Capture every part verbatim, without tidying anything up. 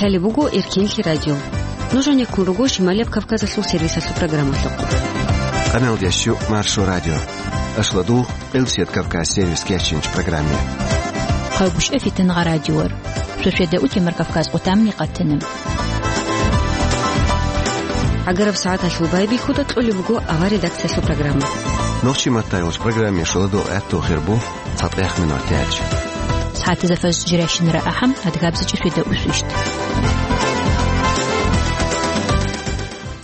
Лъалеб буго Эркенлъи радио. Нуж гьанеккун руго Шималияб Кавказалъул сервисалъул программалъухъ. Къаналдиясчу Маршо радио. Ашладу Къилсият Кавказ сервис кечинч программе. Хъагушев Фитнагъа радиор. Шошеда утемар Кавказ къутамни къатана. ГӀагараб сагӀаталъул байбихьуда кьолеб буго авар редакциялъул программа. Нохчи маттайулч программе шоладо гӀатту хирбу. ЦатӀехъ минуталъ. СагӀатазда фажр жирайщинара ахӀам, адгабзачӀи шведа усвищт.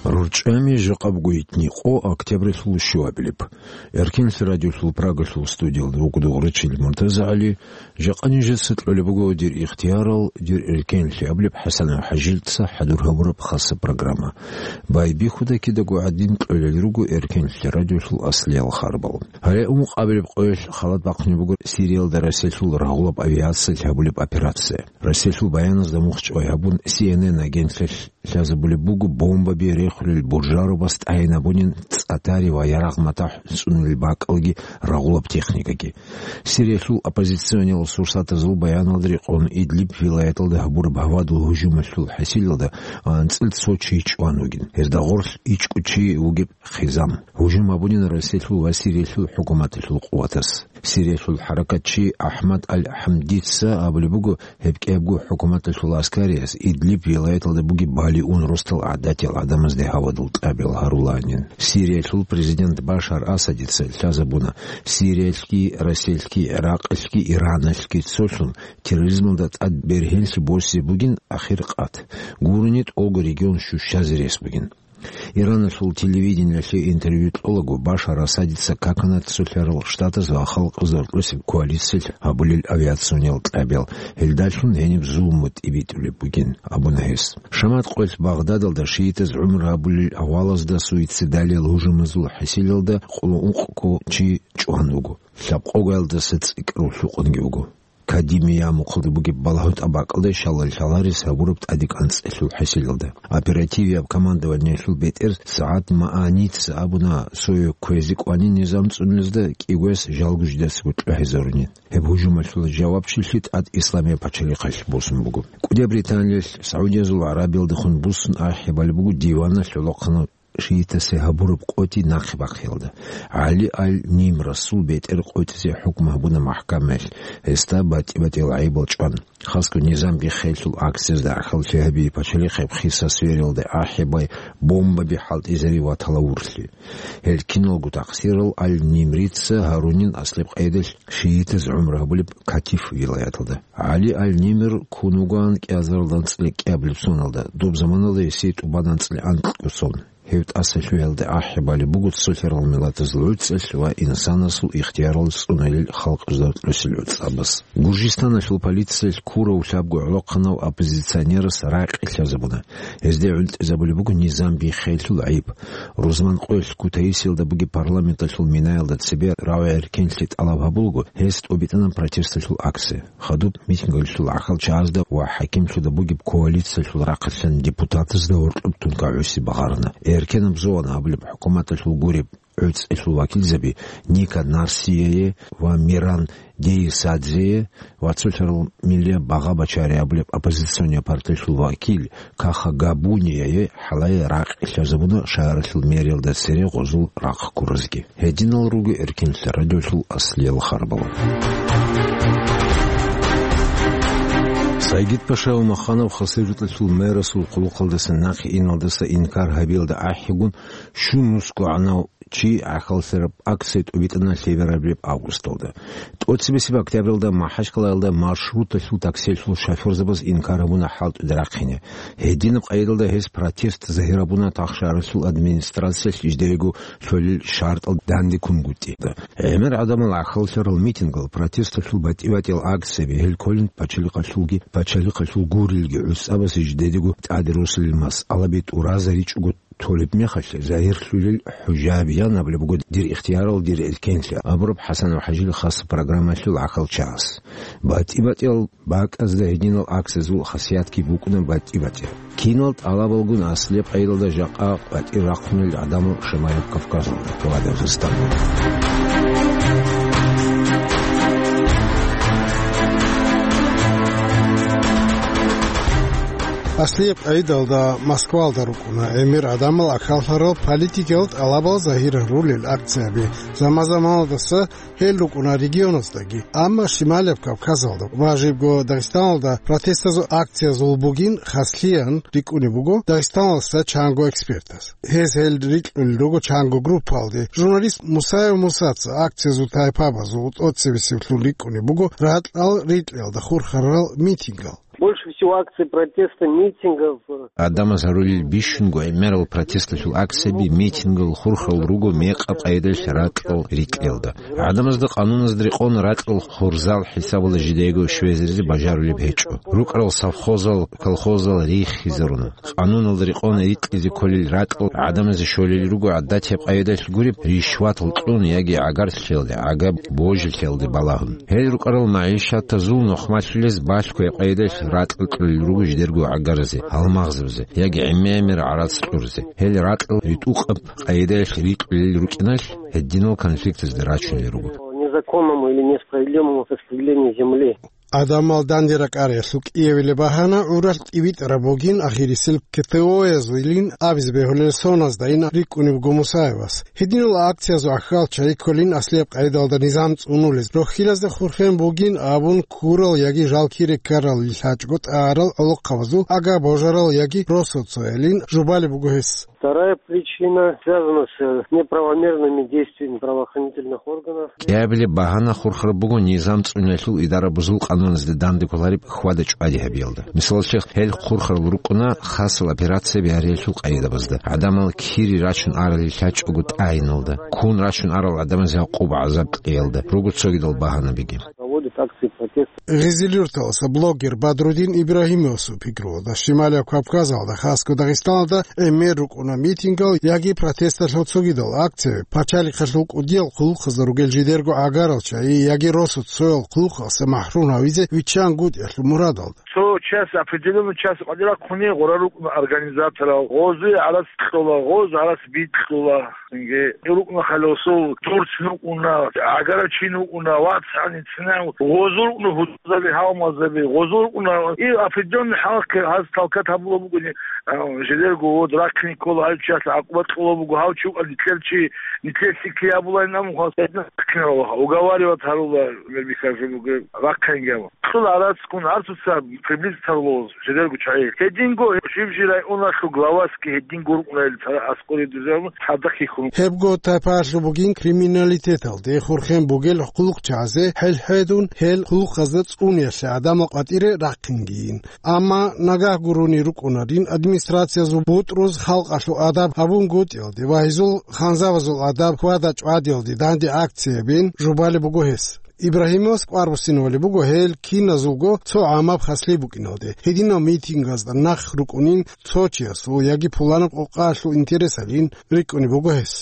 РорчӀами жакъаб гуйтни къо октябрилъул щуабилеб. Эркенлъи радиолъул Прагалъул студиялда вугудугъ ричил МуртазагӀали, жакъа нижеца кьолеб буго дир ихтиярал, дир эркенлъи абулеб ХӀасанов ХӀажилъца хӀадур гьабураб хаса программа. Байбихьуда кидаго гӀадин кьолел руго Эркенлъи радиолъул аслиял харбал. Гьале ункъабилеб къоялъ халат бахъунеб буго Сириялда Россиялъул рагъулаб авиациялъ гьабулеб операция. Россиялъул баяназда мухчӀвай гьабун, Си Эн Эн агентлъиялъ лъазабулеб буго бомбаби рехулел буржарубас тӀайин абунин цӀатари ва ярагъ матахӀ цӀунулел бакӀалги рагъулаб техникаги. Сириялъул оппозициониял сурсатазул баяналда рекъон Идлиб вилаяталда гьабураб гьавадул гьужумалъул хӀасилалда анцӀил цо чи чӀван вугин. Гьезда гъорлъ ичӀго чи вугеб хъизан. Гьужум гьабунин Россиялъул ва Сириялъул хӀукуматалъул къуватас. Сириялъул хӀаракатчи АхӀмад аль-ХӀамдица абулеб буго, гьеб кӀиябго хӀукуматалъул аскариялъ Идлиб вилаяталда бугеб балигьун росдал гӀадатиял гӀадамазде гьавадул тӀабил гьаруланин. Сириялъул президент Башар Асадица лъазабуна, Сириялъги, Россиялъги, ГӀиракъалъги, Ираналъги цолъун терроризмалда тӀад бергьенлъи босизе бугин ахир къат. Гурони тӀолго регион щущазе рес бугин. Ираналъул телевидениялъе интервью кьолаго, Башар Асадица какана Цолъарал Штатаз ва Халкъазда рокьосеб коалициялъ гьабулел авиациониял тӀабил, гьелдалъун гьениб зулму тӀибитӀулеб бугин, абуна гьес. Шамат къоялъ Багъдадалда шиитаз гӀумру гьабулел авалазда суицидалиял гьужумазул хӀасилалда къоло ункъго чи чӀван вуго. Лъабкъоялдаса цӀикӀкӀарав лъукъунги вуго. Кадимия мухъалда бугеб балагьун тӀабакӀалда щалал лъаларес гьабураб тӀадекӀанцӀелъул хӀасилалда. Оперативияб командованиялъул бетӀер СагӀад Мааница абуна, цое кквезе кӀванин низам цӀунулезда кӀигояс жалго жидецаго кьвагьизарунин. Гьеб гьужумалъул жавабчилъи тӀад Исламияб пачалихъалъ босун буго. КӀудияб Британиялъ СагӀудиязул ГӀарабиялдехун буссун ахӀи балеб буго диваналъ гӀолохъанав шиитасе гьабураб къотӀи нахъе бахъиялда. ГӀали аль-Нимрасул бетӀер къотӀизе хӀукму гьабуна махӀкамаялъ, гьесда батӀи-батӀиял гӀайибал чӀван. Хасго низам биххеялъул акциязда гӀахьаллъи гьаби пачалихъеб хиса свериялда ахӀи бай бомбаби хӀалтӀизари ва талавурлъи. Гьел киналго такъсирал аль-Нимрица гьарунин аслеб къайдалъ шиитаз гӀумру гьабулеб Катиф вилаяталда. ГӀали аль-Нимр ккун вугоан кӀиазарал анцӀила кӀиабилеб соналда, доб заманалда гьесие тӀубан анцӀила анкьго сон. Гьев тӀасалъугьиялда ахӀи балеб буго цолъарал миллатазул гӀуцӀелъ ва инсанасул ихтиярал цӀунулел халкъазда рокьосел гӀуцӀабаз. Гуржистаналъул полициялъ ккурав лъабго гӀолохъанав оппозиционерас ракъи лъазабуна. Гьезде гӀунтӀизабулеб буго низам биххеялъул гӀайиб. Рузман къоялъ Кутаисиялда бугеб парламенталъул минаялда цебе рагӀи-эркенлъи тӀалаб гьабулго, гьес тӀубитӀана протесталъул акция. Хадуб митингалъул гӀахьал чагӀазда ва хӀакимлъуда бугеб коалициялъул рахъалъан депутатазда гьоркьоб тункагӀуси багъарана. Эркенаб зоан абулеб хӀукуматалъул гуреб гӀуцӀелъул вакилзаби Ника Нарсияе ва Миран Дейсадзее ва цолъарал миллияб багъа бачари абулеб оппозиционный партиялъул вакил Каха Габунияе хӀалае ракъи лъазабуна шагьаралъул мэриялда цере гъозул рахъ ккуразги. Гьединал руго Эркенлъи радиолъул аслиял харбал. Сайгид-паша Умаханов Хасавюрталъул мэрасул хъулухъалдаса нахъе иналдаса инкар гьабиялда ахӀигун, щун нусго гӀанав чи гӀахьаллъараб акция тӀубитӀана лъеберабилеб августалда. ТӀоцебесеб октябралда МахӀачкъалаялда маршруталъул таксиялъул шофёрзабаз инкар гьабуна хӀалтӀуда рахъине. Гьединаб къайдалда гьез протест загьир гьабуна тахшаралъул администрациялъ жидерего лъолел шартӀал данде ккунгутӀи. ГӀемер гӀадамал гӀахьаллъарал митингал, протесталъул батӀи-батӀиял акцияби, гьел кколин пачалихъалъулги, пачалихъалъул гурелги гӀуцӀабазе жидедего тӀаде росулел масъалаби тӀуразаричӀого толеб мехалъ, загьирлъулел хӀужаби, ян абулеб буго дир ихтиярал, дир эркенлъи абураб ХӀасанов ХӀажил хаса программаялъул гӀахьалчагӀаз. БатӀи-батӀиял бакӀазда гьединал акциязул хасиятги букӀуна батӀи-батӀи. Кинал тӀалабалгун аслияб къайдалда жакъа къватӀир рахъунел гӀадамал Шамаяб Кавказалда ва Дагъистаналда. Аслияб къайдалда Москвалда рукӀуна гӀемер гӀадамал ахӀаллъарал политикиял тӀалабал загьирарулел акцияби. Заман-заманалдаса гьел рукӀуна регионаздаги, амма Шималияб Кавказалда ва жибго Дагъистаналда протестазул акциязул бугин хаслъиян рикӀкӀунеб буго Дагъистаналдаса чанго экспертас. Гьез гьел рикьулел руго чанго группаялде. Журналист Мусаев Мусаца акциязул тайпабазул тӀоцебесеблъун рикӀкӀунеб буго ракьал рикьиялда хурхарал митингал. Больше всего акций протеста, митингов. Гьадамаз гьарулел бищунго гӀемерал протесталъул акцияби, митингал хурхарал руго мекъаб къайдалъ ракьал рикьиялда. ГӀадамазда къануназда рекъон ракьал хурзал хӀисабалда жидеего щвезаризе бажарулеб гьечӀо. РукӀарал совхозал, колхозал риххизаруна. Къануналда рекъон рикьизе кколел ракьал гӀадамазе щолел руго гӀадатияб къайдалъ гуреб, ришватал кьун яги гӀагарлъиялде, гӀагаб божилъиялде балагьун. Гьел рукӀарал магӀишатазул нухмалъулез балъго гьеб къайдалъ ракьал кьолел руго жидерго гӀагаразе, гьалмагъзабазе яги гӀемер-гӀемер гӀарац кьурзе. Гьел ракьал ритӀухъаб къайдалъ рикьулел рукӀиналъ, гьединал конфликтазде рачунел руго. Незаконному или несправедливому распределению земли. ГӀадамал данде ракӀариялъул кӀиабилеб багьана гӀуралъ тӀибитӀараб бугин, ахирисел КТО-язулин абизе бегьулел соназдайин рикӀкӀунеб буго Мусаевас. Гьединал акциязул ахьал чайи кколин аслияб къайдалда низам цӀунулез, рохьилазда хурхен бугин абун ккурал яги жал кире ккарал лъачӀого тӀагӀарал гӀолохъабазул ага божарал яги росоцоялин жубалеб буго гьес. Вторая причина связана с неправомерными действиями правоохранительных органов. КӀиабилеб багьана хурхараб буго низам цӀуниялъул идарабазул къануназде данде кколареб хьвада-чӀвади гьабиялда. Мисалалъе, гьел хурхарал рукӀуна хасал операцияби гьариялъул къайдабазда, гӀадамал кири рачун арали лъачӀого тӀагӀиналда, ккун рачун арал гӀадамазе гӀакъуба-гӀазаб кьеялда, руго цогидал багьанабиги. Проводят акции протеста. Гъизил-Юрталаса блогер Бадрудин Ибрагьимовасул пикруялда, Шималияб Кавказалда, хасго Дагъистаналда гӀемер рукӀуна митингал яги протесталъул цогидал акцияби, пачалихъалъул кӀудиял хъулухъазда ругел жидерго гӀагарал чайи яги росоцоял хъулухъалъа махӀрум гьавизе виччангутӀиялъул мурадалда. Цо час, определённый час къватӀира хъуни гъура рукӀуна организаторал, гъозие гӀарац кьола, гъоз гӀарац бикьула. Инге, рукӀна халосул, дурц нукӀуна, гӀагара чи нукӀуна, вацгӀани цинав, гъозул рукӀна гьудзаби, гьалмазаби, гъозул рукӀна, и определённый хӀалхъе гьаз талкат гьабула бугони, а, жидерго вод рахъине ккола гьав чиясда гӀакъуба кьула буго, гьав чи вукӀа нилъер чи, нилъер лъикӀлъи гьабулайин амухъал, гьедин рахъине рала, уговаривать гьарула, вербихьа жо буго, рахъинги гьава. Цо гӀарацгун гӀарцуца приблизить гьарулев жидерго чагӀи. Гьединго жиб-жи районалъул главасги гьединго рукӀунарел цара аскӀоре дузерун цадахъ хьихьун. Гьебго тайпаялъул бугин криминалитеталде хурхен бугел хъулухъчагӀазе хӀел-хӀедун, гьел хъулухъазда цӀуниялъе гӀадамал къватӀире рахъингийин. Амма нагагь гурони рукӀунарин администрациязул бутӀруз халкъалъул адаб гьабунгутӀиялде ва гьезул ханзабазул адаб хьвада-чӀвадиялде данде акциябин жубалеб буго гьес. Ибрагьимовас кӀвар буссинабулеб буго гьел киназулго цо гӀамаб хаслъи букӀиналде. Гьединал митингазда нахъ рукӀунин цо чиясул яги пуланаб къокъаялъул интересалин рикӀкӀунеб буго гьес.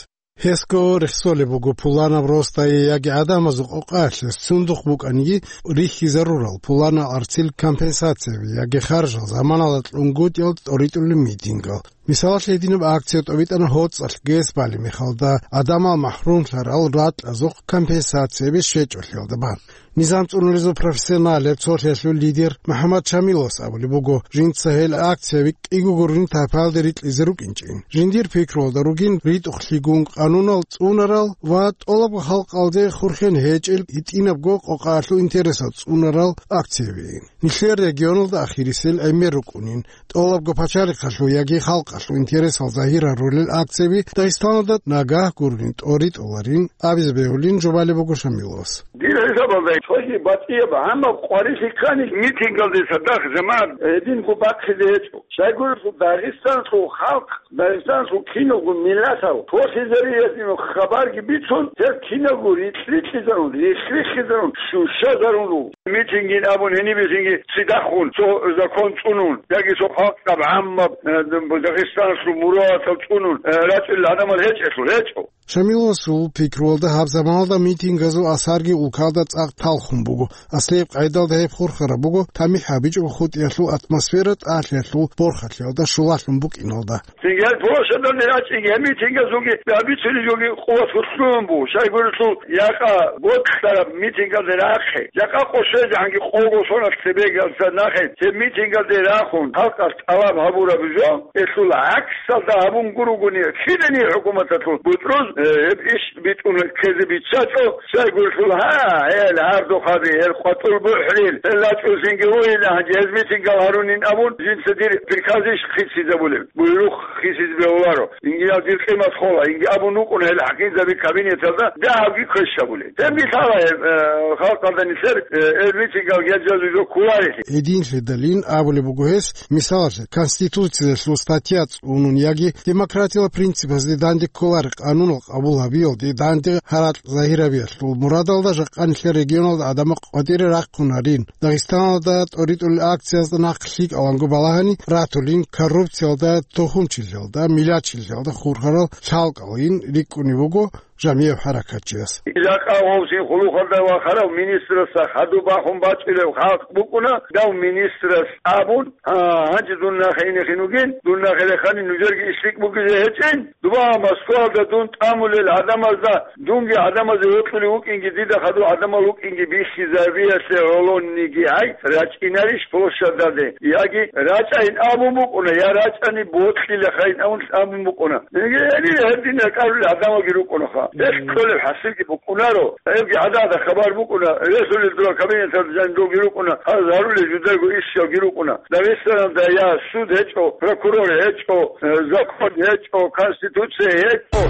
Гьесго рехсолеб буго пуланаб росдае яги гӀадамазул къокъаялъе сундухъ букӀаниги рихьизарурал пуланал арцил компенсацияби яги харжал заманалда кьунгутӀиялда тӀоритӀулел митингал. Мисалалъе, гьединаб акция тӀобитӀана ГьоцӀалъ ГЭС балеб мехалда, гӀадамал махӀрумлъарал ракьазухъ компенсацияби щвечӀолъиялда бан. Низам цӀунулезул профессионалеб цолъиялъул лидер МухӀаммад Шамиловас абулеб буго, жинца гьел акцияби кӀиго гурони тайпаялде рикьизе рукӀинчӀин. Жиндир пикруялда ругин ритӀухълъигун къанунал цӀунарал ва тӀолабго халкъалде хурхен гьечӀел гьитӀинабго къокъаялъул интересал цӀунарал акциябиин. Нилъер регионалда ахирисел гӀемер рукӀунин, тӀолабго пачалихъалъул яги халкъалъул интересал загьирарулел акцияби Дагъистаналда нагагь гурони тӀоритӀуларин абизе бегьулин жубалеб буго Шамиловас. Дир хӀисабалда цоги батӀияб гьамаб къварилъи ккани митингалде цадахъ жамагӀат гьединго бахъизе гьечӀо. Щайгурелъул Дагъистанлъул халкъ, Дагъистанлъул киналго миллатал толъизариясул хабарги бицун, гьел киналго рикь-рикьизарун, рихх-риххизарун, щущазарун руго. Митингин абун гьениб бихьинги цидахун цо закон цӀунун, яги цо халкъаб гӀаммаб, э, Дагъистанлъул мурадатал цӀунун, э, рачӀунел гӀадамал гьечӀелъул гьечӀо. Шамиловасул пикруялда, гьаб заманалда митингазул асарги улкалда цӀакъ талхун буго. Аслияб къайдалда гьеб хурхараб буго тамихӀ гьабичӀого хутӀиялъул атмосфера тӀалъиялъул борхалъиялда щулалъун букӀиналда. Цинги гьел площадалде рачӀинги гьеб митингазулги гьабицунелъулги къуват гьуслугьун буго, щайгурелъул якъа бокьараб митингалде рахъе, якъа къо Цеги гьанги къого соналъ цебегалъа нахъе, цеб митингалде рахун, халкъалъ тӀалаб гьабураб жо, гьелъул гӀаксалда гьабун гуругуни, кидани хӀукуматалъул бутӀруз, э, гьеб иш битӀун ккезе биччачӀо, щайгурелъул, гьа, гьел гьардухъаби, гьел къватӀул бухӀрил, гьел рачӀунлъинги ругьила, гьанже гьез митингал гьарунин абун, жинца дир приказ иш хисизабулеб, буйрухъ хисиз бегьуларо. Инги гьав дир къимат хола, инги абун вукӀун гьел хӀакимзаби кабинеталда дагьабги квеш гьабулел. Гьебги лъала гьеб, э, халкъалда нилъер, э, гьел митингал гьечӀезул жо кколарелъи. Гьединлъидалин абулеб буго гьес, мисалалъе, Конституциялъул статья цӀунун яги демократиялъул принципазде данде кколареб къануналъ къабул гьабиялде данде гьаракь загьирабиялъул мурадалда жакъа нилъер регионалда гӀадамал къватӀире рахъунарин. Дагъистаналда тӀоритӀулел акциязда нахъ лъикӀаланго балагьани ратулин, коррупциялда, тухумчилъиялда, миллатчилъиялда хурхарал лъалкӀалин рикӀкӀунеб буго жамияб хӀаракатчияс. Жакъа гъовсин хъулухъалда вахарав министрасда хадуб бахун бачӀунев халкъ букӀуна, дав министрас абун, гьа, гьанже дун нахъе инехин вугин, дун нахъе рехани нужерги иш рикӀкӀ бугизе гьечӀин, дуба Москваялда дун тӀамулел гӀадамазда, дунги гӀадамазе вокьулев вукӀинги, дида хадув гӀадамал вукӀинги бихьизабиялъе гӀолониги гьай, рачӀинарищ площадалде? Яги рачӀайин абун букӀуна, я рачӀани бокьилахъайин абун абун букӀуна. Яги гьедин гьедин ракӀарулел гӀадамалги рукӀунаха. Гьелъ кколеб хӀасилги букӀунаро. Гьебги гӀада-гӀада хабар букӀуна, ресулел дора кабинеталда жаниб доги рукӀуна, гьаз гьарулел жудаго ишалги рукӀуна. Дагъистаналда я суд гьечӀо, прокурор гьечӀо, э, закон гьечӀо, конституция гьечӀо.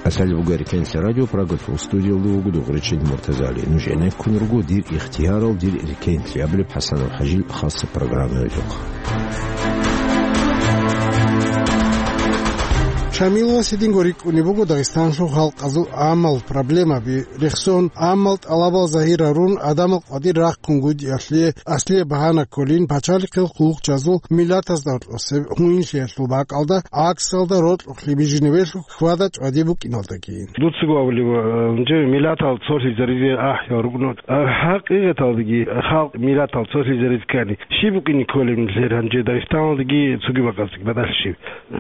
КӀалъалеб буго Эркенлъи радио, Прагалъул студиялда вуго Дугъричин Муртазали. Нуж гӀенеккун руго «Дир ихтиярал, дир эркенлъи» абулеб ХӀасанов ХӀажил хасаб программаялъухъ. Шамиловас гьединго рикӀкӀунеб буго Дагъистаналъул халкъазул гӀамал проблемаби рехсон, гӀамал тӀалабал загьир гьарун, гӀадамал къватӀир рахъун гьудиялъе аслияб багьана кколин, пачалихъил хъулухъчазул миллатазда гьоркьосеб гьуинлъиялъул бакӀалда гӀаксалда рокьухълъи бижинебелъул хьвада-чӀвади букӀиналдаги. Дуцаго абулеб, э, жо миллатал цолъизаризе ахӀи рукӀуна. Э, хӀакъикъаталдаги халкъ миллатал цолъизаризе ккани, щиб букӀине кколеб нилъер гьанже Дагъистаналдаги цоги бакӀалдаги батӀалъи щиб?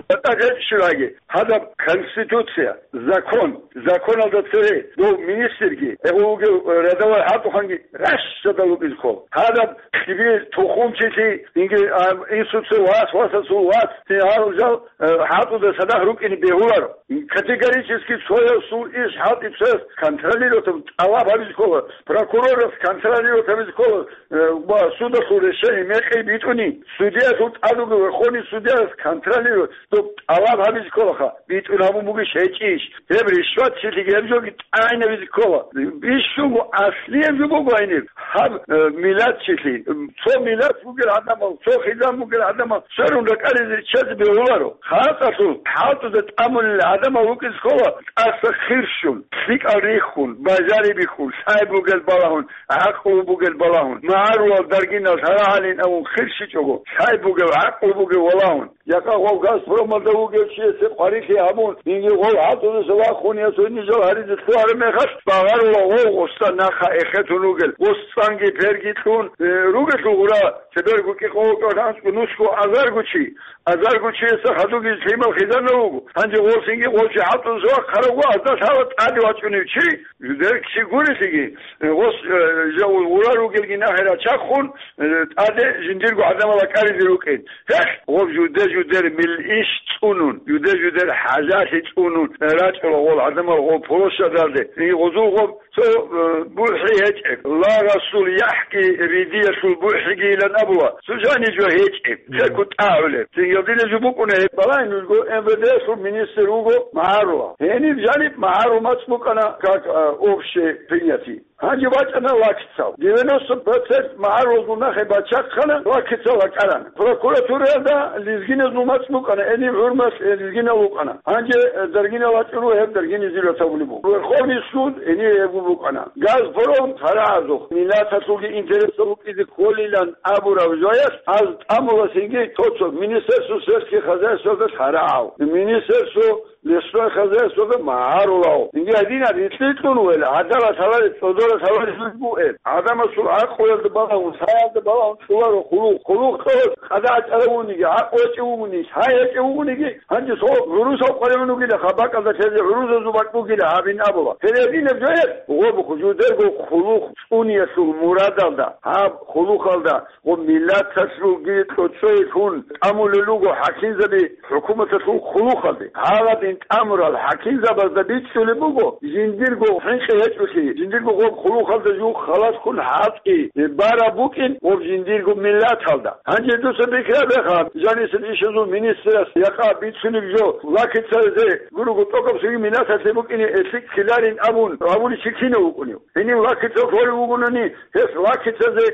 БатӀа гьечӀищ гьагъи. Гьадаб конституция, закон, законалда цере дов министрги, гьев вугев, э, рядовой хӀалтӀухъанги ращадал вукӀизе ккола. Гьадаб киби тухумчилъи, инги, а, инсуца вас, васасул вас, гьал жал, э, хӀалтӀуда цадахъ рукӀине бегьуларо. Категорически цоясул иш хӀалтӀи цояс контролировать, тӀалаб гьабизе ккола, прокурорас контролировать гьабизе ккола, э, ва судалъул решение мекъи битӀуни, судьялъул тӀад вугев верховный судьяс контролировать, доб тӀалаб гьабизе кколаха, битӀун гьабун бугищ гьечӀищ, гьеб ришватчилъиги гьеб жоги тӀагӀинабизе ккола. Бищунго аслияб жо буго гьаниб, гьаб, э, миллатчилъи, цо миллат бугел гӀадамал, цо хизан бугел гӀадамал сверун ракӀалде риччазе бегьуларо. ХӀалтӀалъул, хӀалтӀуда тӀамулел гӀадамал вукӀизе ккола, тӀаса хирщун, лъикӀал риххун, бажарибихьун, лъай бугел балагьун, гӀакълу бугел балагьун, магӀарулал даргинал гьарагьалин абун хирщичӀого, лъай бугев, гӀакълу бугев валагьун. Якъа гъов «Газпромалда» вугев чиясе къварилъи гьабун, инги гъов хӀалтӀудаса вахун, я цо нижал гьаризе лъугьараб мехалъ, багъарула гъов гъоста нахъа эхетун ругел, гъоцанги перги кьун, э, ругелъул гъура, цеберго кӀикъого кӀалъанцӀго нусго азарго чи, азарго чияса хадуги лъимал хизанав вуго. Гьанже гъосинги гъов чи хӀалтӀудаса вахъарав ва азда лъала тӀаде вачӀунев чи, жудерги чи гурелъиги, э, гъос, э, жав гъура ругелги нахъе рачахъун, э, тӀаде жиндирго гӀадамал ракӀаризе рукӀин. Гьелъ, гъоб жуде-жудер мил иш цӀунун, жуде-жудер хӀажалъи цӀунун, э, рачӀула гъол гӀадамал гъоб площадалде. И гъозул гъоб цо, э, бухӀи гьечӀеб. Лагъасул яхӀги ридиялъул бухӀигийилан абула. Цо жаниб жо гьечӀеб. Церкъу тӀагӀулеб. Цинги гьадинаб жо букӀуна гьеб. Балагье нужго, М В Д-лъул министр вуго магӀарулав. Гьениб жаниб магӀарул мацӀ букӀана, как, э, общепринятый. Гьанже бачӀана лакицал. Девяносто процент магӀарулазул нахъе бачахъана, лакицал ракӀарана. Прокуратураялда лезгиназул мацӀ букӀана, гьениб ХӀурмат, э, лезгинал вукӀана. Гьанже, э, даргинал вачӀун ва гьеб даргиназул ратабулеб буго. Верховный суд гьениб гьеб букӀана. «Газпром» хъарагӀазухъ, миллаталъулги интересал рукӀизе кколилан абураб жоялъ, аз тӀамуласинги тото Министерство сельских хозяйствоялда хъарагӀав. Министерство лесное хозяйствоялда магӀарулав. Инги гьадинаб рикьикьун вел гӀадалат гьалареб цӀодор Гьале жуз бугеб. ГӀадамасул гӀакълуялда балагьун, лъаялда балагьун цӀуларо хъулухъ. Хъулухъ цо къадагӀа чӀарав вугониги, гӀакълу гьечӀев вугониги, лъай гьечӀев вугониги, гьанже цо гӀурусав къваригӀун вугила, гьаб бакӀалда лъезе гӀурусазул бакӀ бугила гьабин абула. Гьеле гьединаб жоялъ, гъоб жидерго хъулухъ цӀуниялъул мурадалда, гьаб хъулухъалда гъоб миллаталъулги кьоцӀойилъун тӀамулел руго хӀакимзаби хӀукуматалъул хъулухъалде. Гьаладин тӀамурал хӀакимзабазда бицунеб буго, жиндирго хӀинкъи гьечӀолъи, жиндирго гъоб хъулухъалда жух халаскун хӀалтӀи бараб букӀин гъоб жиндирго миллаталда. Гьанже дуца пикрабеха, жанисел ишазул министрас якъа бицунеб жо, лакицазе гурого тӀокӀаб цоги миллаталъе букӀине эсиккиларин абун, абуличи кинав вукӀунев? Гьенив лакицал хъварив вугони, гьес лакицазе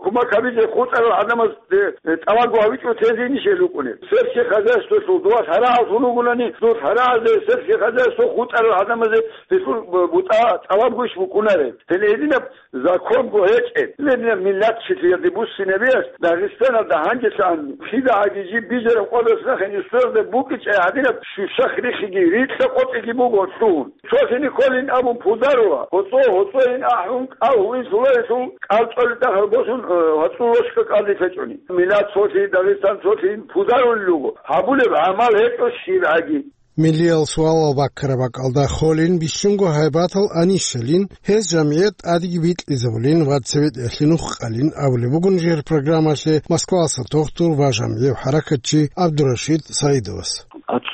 кумак гьабизе хутӀарал гӀадамазде, э, тӀалабго гьавичӀо тезейищ гьел рукӀунел? Сельский хозяйстволъул дова лъарагӀаллъун вугони, дур лъарагӀалде сельский хозяйство хутӀарал гӀадамазе гьелъул бутӀа тӀалабгойищ букӀунареб? Гьеле гьединаб законго гьечӀеб, гьединаб миллатчилъиялде буссинабиялъ Дагъистаналда гьанжелъан кидагӀаги жиб бижараб къоялъ нахъе нусоялда букӀинчӀеб гьадинаб щущахъ рихиги, рикьа-къотӀиги буго лъугьун. Цолъи кколин абун пударула, гьоцӀо-гьоцӀойин ахӀун, кӀал гьуин лъуларелъул, кӀал цӀолидахъал босун, э, гьоцӀул рошка кӀалдилъ гьечӀони. Миллат цолъи, Дагъистан цолъи пударулел руго. Гьабулеб гӀамал гьечӀо щибгӀаги. Миллиял суалал баккараб бакӀалда холин бищунго гьайбатал анищалин, гьез жамгӀият тӀадеги бикьизабулин ва цебетӀеялъе нух къалин абулеб бугун жер программалъе Москвалъа тухтур ва жамгӀияв хӀаракатчи ГӀабдурашид Саидовас.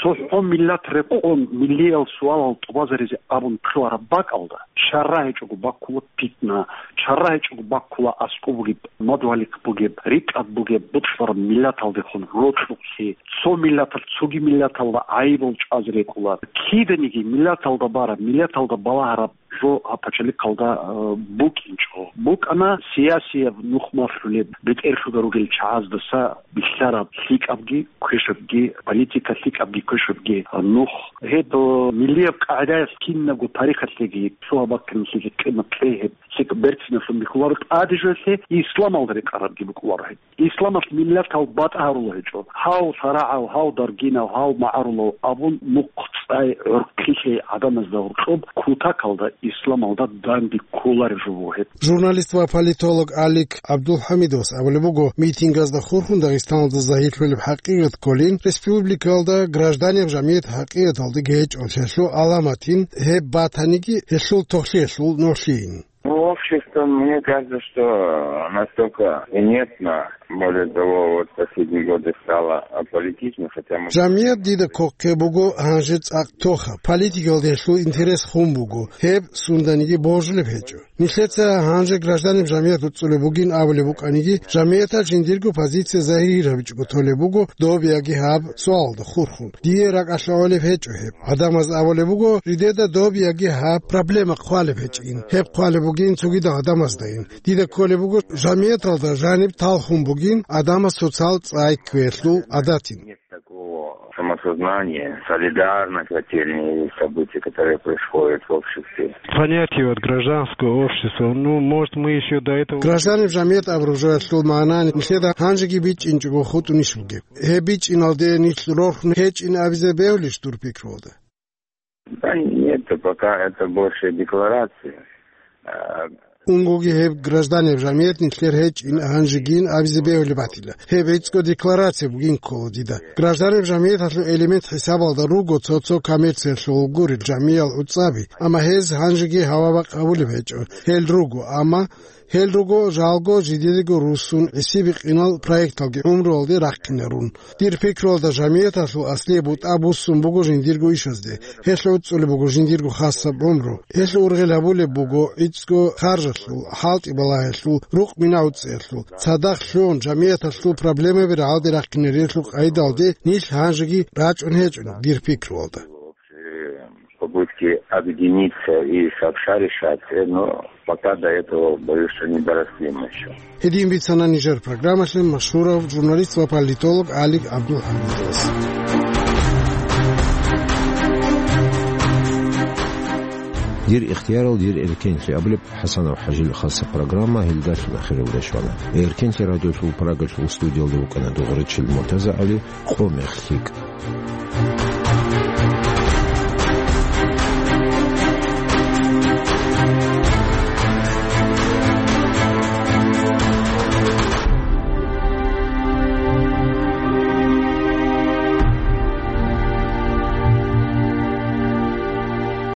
Цо гьо миллат рекъон миллиял суалал тӀубазаризе абун кколараб бакӀалда, чара гьечӀого баккула питна, чара гьечӀого баккула аскӀоб бугеб, мадугьалихъ бугеб, рикӀкӀад бугеб, бокьараб миллаталдехун рокьукълъи, цо миллаталъ цоги миллаталда гӀайибал чӀвазе рекӀула. Киданиги миллаталда бараб, миллаталда балагьараб жо гьаб пачалихъалда, э, букӀинчӀо. БукӀана сиясияб нух малъулеб, бетӀерлъуда ругел чагӀаздаса бихьараб лъикӀабги квешабги, политика лъикӀабги квешабги нух. Гьеб, э, миллияб къагӀидаялъ кинабго тарихалъеги, цо гьаб баккаралъеги къимат кьей гьеб, лъикӀаб берцинлъун бихьуларо тӀаде жоялъе, исламалда рекъарабги букӀуларо гьеб. Исламалъ миллатал батӀа гьарула гьечӀо. Гьав шарагӀав, гьав даргинав, гьав магӀарулав абун нухъ цӀай гӀорхъилъей гӀадамазда гьоркьоб кутакалда исламалда данде кколареб жо буго гьеб. Журналист ва политолог Алик ГӀабдулхӀамидовас абулеб буго, митингазда хурхун Дагъистаналда загьирлъулеб хӀакъикъат кколин, республикалда гражданиял жамгӀият хӀакъикъаталдаги гьечӀолъиялъул гӀаламатин, гьеб батаниги гьелъул тохлъиялъул нугӀлъийин. Ну, в общем-то, мне кажется, что настолько инертно, более того, вот последние годы стало аполитично, хотя мы... Жамгьият дида коккеб буго гьанже цӀакъ тоха, политикалда гьелъул интерес хун буго, гьеб сунданиги божулеб гьечӀо. Нилъеца гьанже гражданин жамгьият уцӀцӀулеб бугин абулеб букӀаниги, жамгьияталъ жиндирго позиция загьир гьабичӀого толеб буго доб яги гьаб суалалда хурхун. Дие ракӀалъ гӀолеб гьечӀо гьеб. ГӀадамаз абулеб буго, жидеда доб яги гьаб проблема хъвалеб гьечӀин. Гьеб хъвалеб бугин цогидал гӀадамаздайин. Дида кколеб буго, жамгьияталда жаниб талхун бугин гӀадамаз социал цӀай кквеялъул гӀадатин. Нет такого самосознания, солидарности, те или иные события, которые происходят в обществе. Понятие вот гражданского общества, ну, может, мы ещё до этого... Гражданин жамгьият абураб жоялъул магӀна нилъеда гьанжеги бичӀчӀинчӀого хутӀунищ бугеб? Гьеб бичӀчӀиналде нилъ рорхун гьечӀин абизе бегьулищ дур пикруялда? Да нет, пока это больше декларация. А, Унгоги гьеб гражданин жамгьият нилъер гьечӀин гьанжегин абизе бегьулеб батила. Гьеб гӀицӀго декларация бугин ккола дида. Гражданин жамгьияталъул элемент хӀисабалда руго цо-цо коммерциялъул гурел жамгьиял гӀуцӀаби, амма гьез гьанжеги гьава-бакъ гьабулеб гьечӀо. Гьел руго, амма гьел руго жалго жидедаго руссун гӀисиби-къинал проекталги гӀумруялде рахъинарун. Дир пикруялда, жамгьияталъул аслияб бутӀа буссун буго жиндирго ишазде. Гьелъ гӀуцӀулеб буго жиндирго хасаб гӀумру. Гьелъ ургъел гьабулеб буго гӀицӀго харжалъул, хӀалтӀи балагьиялъул, рукъ-мина гӀуцӀиялъул. Цадахъ лъугьун жамгьияталъул проблемаби рагӀалде рахъинарелъул къайдалде нилъ гьанжеги рачӀун гьечӀо, дир пикруялда. Попытки объединиться и сообща решать, э, но пока до этого, боюсь, что не доросли мы ещё. Гьедин бицана нижер программалъе машгьурав журналист ва политолог Алик ГӀабдулхӀамидовас. Дир ихтиярал, дир эркенлъи абулеб ХӀасанов ХӀажил хасаб программа гьелдалъун ахиралде щвана. Эркенлъи радиолъул Прагалъул студиялда вукӀана дугӀричил МуртазагӀали. Къо мех лъикӀ.